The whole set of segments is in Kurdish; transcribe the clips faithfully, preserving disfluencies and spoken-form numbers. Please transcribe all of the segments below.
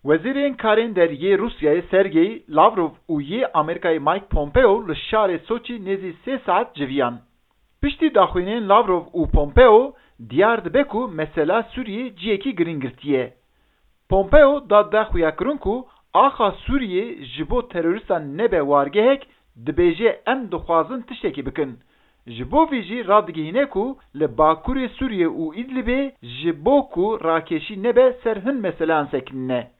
Wezîrên Karên Der yê Rûsyayê Sergey Lavrov û yê Amerîkayê Mike Pompeo li şarê Soçî nêzî sê saet civiyan. Piştî daxuyaniyên Lavrov û Pompeo, diyar dibe ku mesela Sûriyê cihekî girîng girtiye. Pompeo da de xuyakirin ku axa Sûriyê ji bo terorîstan nebe wargehek, dibêje em dixwazin tiştekî bikin. Ji bo vî jî radigihîne ku li Bakurê Sûriyê û Îdlibê ji bo ku rakêşî nebe ser hin meseleyan sekinîne.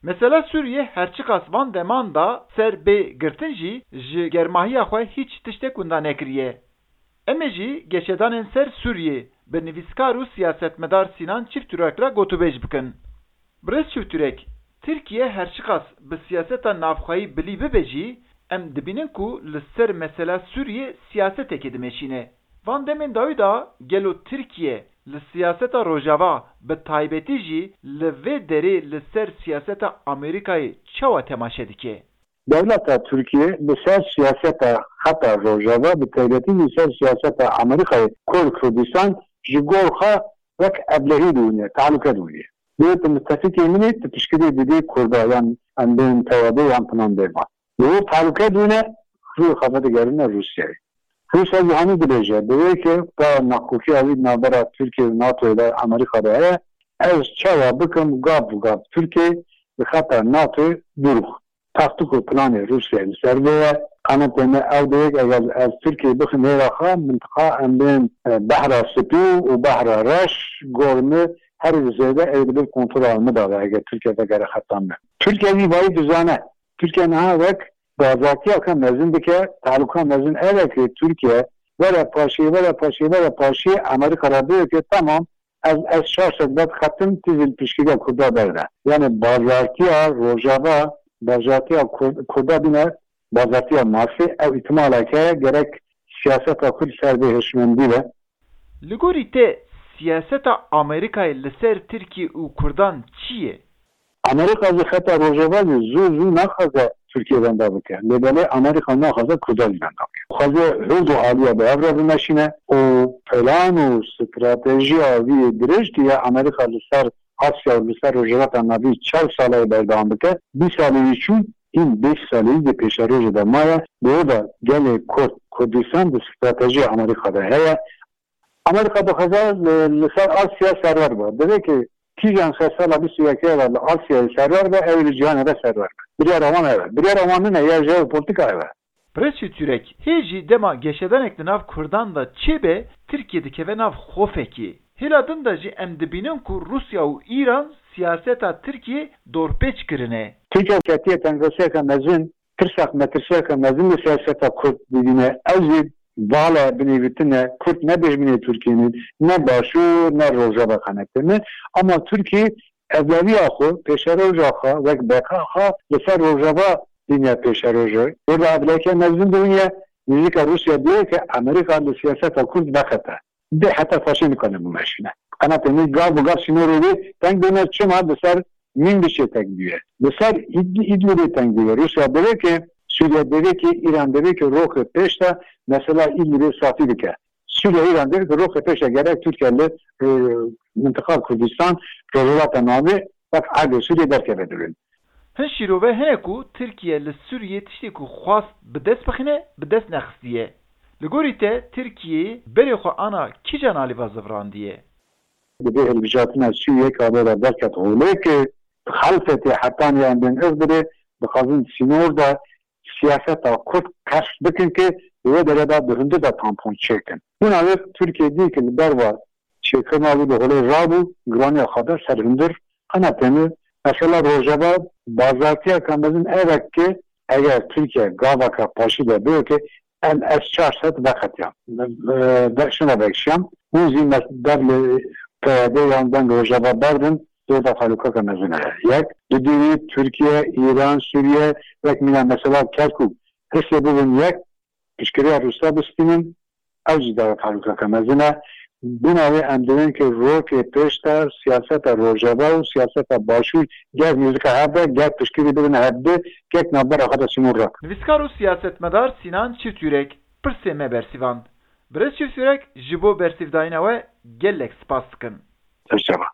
Mesela Sûriyê her çiqas van deman da ser bê girtin jî ji germahiya xwe hîç tiştek winda nekiriye. Em ê jî geşedanên ser Sûriyê bi nivîskar û siyasetmedar Sînan Çîftürek re gotûbêj bikin. Birêz Çîftürek, Tirkiye her çiqas bi siyaseta navxweyî bilî bibe jî, em dibînin ku li ser mesela Sûriyê siyasetekê dimeşîne. Van demên dawî de gelo Tirkiye li siyaseta Rojava, bi taybetî jî li vê derê li ser siyaseta Amerîkayê çawa temaşe dike? Dewleta Tirkiye li ser siyaseta xeta Rojava, bi taybetî li ser siyaseta Amerîkayê Kurd Kurdistan ji gor xwe wek evlehî dibîne, tehlûke dibîne. Lê tu mitefikê min î, tu piştgirî didî Kurda, yan em bên P Y D yan filan bêvan. Li wir tehlûke dibîne, rûyê xwe vedigerîne Rûsyayê. Rûsya jî hanî dibêje, divê ku pa nakokiya wî di navbera Tirkiye û NATOyê de, Amerîka de heye, ez çawa bikim gav bi gav Tirkiye li xeta NATOyê dûr bixwe. Taktîk û planê Rûsyayê li ser vê ye. Qenetê me ew dê ku eger ez Tirkiye bixim hêla xwe, mintiqa em bên, e, Behra Spî û Behra Reş, gor min her zêde ew di bin kontrola min de be, eger Tirkiye vegere xeta me. Tirkiye vî vayî dizane. Tirkiye niha wek bazartiyeke mezin dike, tehlûka mezin ev e ku Tirkiye were paşê, were paşê, were paşê Amerîka re bêje ku temam, ez S çar sed vedixetim, tu jî li piştgiriya Kurda berde. Yani bazartiya Rojava, bazartiya Kur-, Kurda bîne bazartiya mafê, ew îhtimalek heye, gerek siyaseta xwe li ser vê hişmendî be. Li gorî te siyaseta Amerîkayê li ser Tirkiye û Kurdan çi ye? Amerîka ji xeta Rojava jî zû zû naxwaze Tirkiye wenda bike. Lê belê Amerîka naxwaze Kurdan jî wenda bike. Dixwaze her du aliya bi hev re bimeşîne û plan û stratejiya wî yê dirêj, ku ya Amerîka li ser Asya û li ser Rojhilata Navîn çar sala yê berdewam bike, bîst salê wî çûn, hîn bîst salê yî di pêşerojê de maye. Bi wê de gelê Kurd, Kurdistan di stratejiya Amerîka de heye. Amerîka dixwaze li, li ser Asya serwer be. Divê ku kîjan ser sala bîst û yekê de li Asyayê serwer be, ew ê li cîhanê de serwer be. Biryara wan ev e. Biryara wan nine, ya jeopolîtîka ev e. Birêz Çîftürek, hê jî dema geşedanek di nav Kurdan de çêbe, Tirkiye dikeve nav xofekê. Hêla din de jî em dibînin ku Rûsya û Îran siyaseta Tirkiyê dorpêç kirine. Tirkiye ketiye tengasiyeke mezin, tirsak metirsiyeke mezin li siyaseta Kurd dibîne. Ew jî vala binêvîtine, Kurd ne dijminê Tirkiyê ne, ne Başûr, ne Rojava, qenetê me. Ama Tirkiye evleviya xwe, pêşeroja xwe, wek beqa xwe li ser Rojava dîne pêşerojê. Wê de evleke mezin dibîne, nêzîka Rûsya dibîne ku Amerîka li siyaseta Kurd veqete. Dê heta faşê nikane bimeşîne. Qenatê me gav bi gav sînorê wê teng bîne, çima li ser Mînbicê teng bûye. Li ser Îd-, Îdlibê teng bûye. Rûsya divê ku, Sûriye divê ku, Îran divê ku roxê pêş de mesela Îdlibê safî bike. Sûriye, Îran divê ku roxê pêş de gerek Tirkiye li, e, mintiqa Kurdistan, Rojhilata Navîn, wek erdê Sûriye derkeve dibin. Hin şîrove hene ku Tirkiye li Sûriyê tiştê ku xwast bi dest bixine, bi dest nexistiye. Li gorî te Tirkiyeyê berê xwe ana kîjan alî ve zivrandiye? Divê hilbijartina Sûriyê ka bê re derket holê ku xelfetê hetanî em bên Îdlibê dixwazin sînor de siyaseta Kurd qers bikin ku li wê derê de di hundir de tampon çêkin. Bûna wê Tirkiye dî ku li derva çêkirina wî di holê rabû, giraniya xwe da ser hundir. Qenatê me, mesela Rojava bazartiyeke mezin ev e ku eger Tirkiye gaveke paşî de bê ku em S çar sed veqetiyan. E, be-, şuna vekişiyan. Hûn jî mes-, dev li P Y D yan deng Rojava berdin, dê de tehlûkeke mezin heye. Yek, di dî wî Tirkiye, Îran, Sûriye, wek mîna mesela Kerkûk, hişê bibin yek, piştgiriya Rûsya bistînin, ew jî dewet herûkeke mezin e. Bûna wê em divên ku rokê pêş de siyaseta Rojava û siyaseta Başûr ger nêzika hev be, ger piştgirî bidin hev di, ger navbera xwe de sînor rak. Nivîskar û siyasetmedar Sînan Çîftürek pirsê me bersîvand. Birêz Çîftürek, ji bo bersîvdayîna we gelek spas dikin. Serçava.